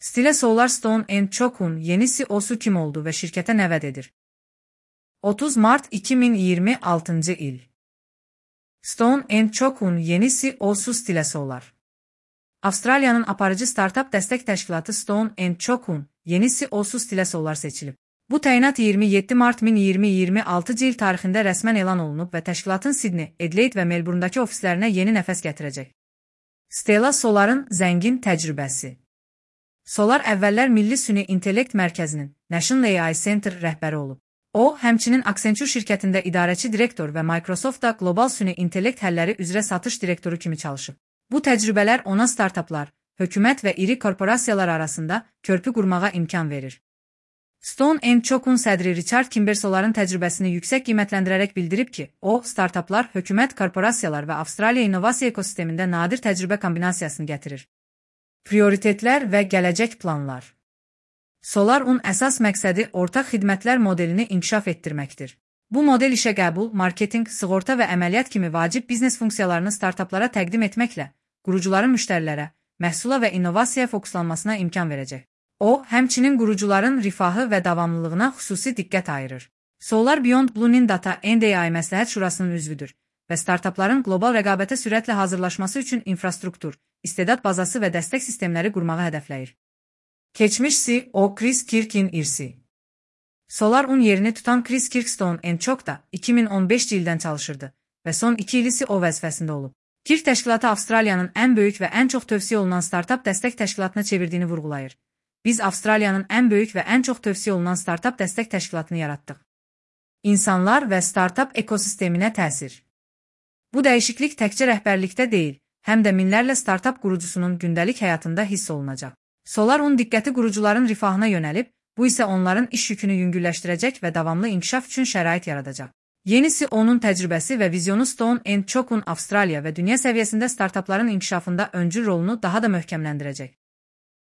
Stile Solar Stone & Choke'un yeni CEO'su kim oldu ve şirkete ne vaat edir? 30 Mart 2026 il. Stone & Choke'un yeni CEO'su Stile Solar. Avustralya'nın aparıcı startup destek teşkilatı Stone & Choke'un yeni CEO'su Stile Solar seçilib. Bu təyinat 27 Mart 2026 il tarixində rəsmən elan olunub və təşkilatın Sydney, Adelaide və Melbourne'dakı ofislərinə yeni nəfəs gətirəcək. Stella Solar'ın zəngin təcrübəsi. Solar əvvəllər Milli Süni İntellekt Mərkəzinin National AI Center rəhbəri olub. O, həmçinin Accenture şirkətində idarəçi direktor və Microsoftda Global Süni İntellekt həlləri üzrə satış direktoru kimi çalışıb. Bu təcrübələr ona startaplar, hökumət və iri korporasiyalar arasında körpü qurmağa imkan verir. Stone & Choke'un sədri Richard Kimber Solar'ın təcrübəsini yüksək qiymətləndirərək bildirib ki, o, startaplar, hökumət, korporasiyalar və Avstraliya innovasiya ekosistemində nadir təcrübə kombinasiyasını gətirir. Prioritetlər və gələcək planlar. Solar-un əsas məqsədi ortaq xidmətlər modelini inkişaf etdirməkdir. Bu model işə qəbul, marketinq, sığorta və əməliyyat kimi vacib biznes funksiyalarını startaplara təqdim etməklə, qurucuların müştərilərə, məhsula və innovasiyaya fokuslanmasına imkan verəcək. O, həmçinin qurucuların rifahı və davamlılığına xüsusi diqqət ayırır. Solar Beyond Blue'nin Data & AI məsləhət şurasının üzvüdür və startapların qlobal rəqabətə sürətlə hazırlaşması üçün infrastruktur, istedad bazası və dəstək sistemləri qurmağı hədəfləyir. Keçmiş CEO Chris Kirk'in irsi. Solar-un yerini tutan Chris Kirk Stone & Choke'da 2015 ildən çalışırdı və son 2 ili CEO vəzifəsində olub. Kirk təşkilatı Avstraliyanın ən böyük və ən çox tövsiyə olunan startap dəstək təşkilatına çevirdiyini vurğulayır. Biz Avstraliyanın ən böyük və ən çox tövsiyə olunan startap dəstək təşkilatını yaratdıq. İnsanlar və startap ekosisteminə təsir. Bu dəyişiklik təkcə rəhbərlikdə deyil, həm də minlərlə startap qurucusunun gündəlik həyatında hiss olunacaq. Solar-un diqqəti qurucuların rifahına yönəlib, bu isə onların iş yükünü yüngülləşdirəcək və davamlı inkişaf üçün şərait yaradacaq. Yeni CEO-nun təcrübəsi və vizyonu Stone & Choke'un Avstraliya və dünya səviyyəsində startapların inkişafında öncül rolunu daha da möhkəmləndirəcək.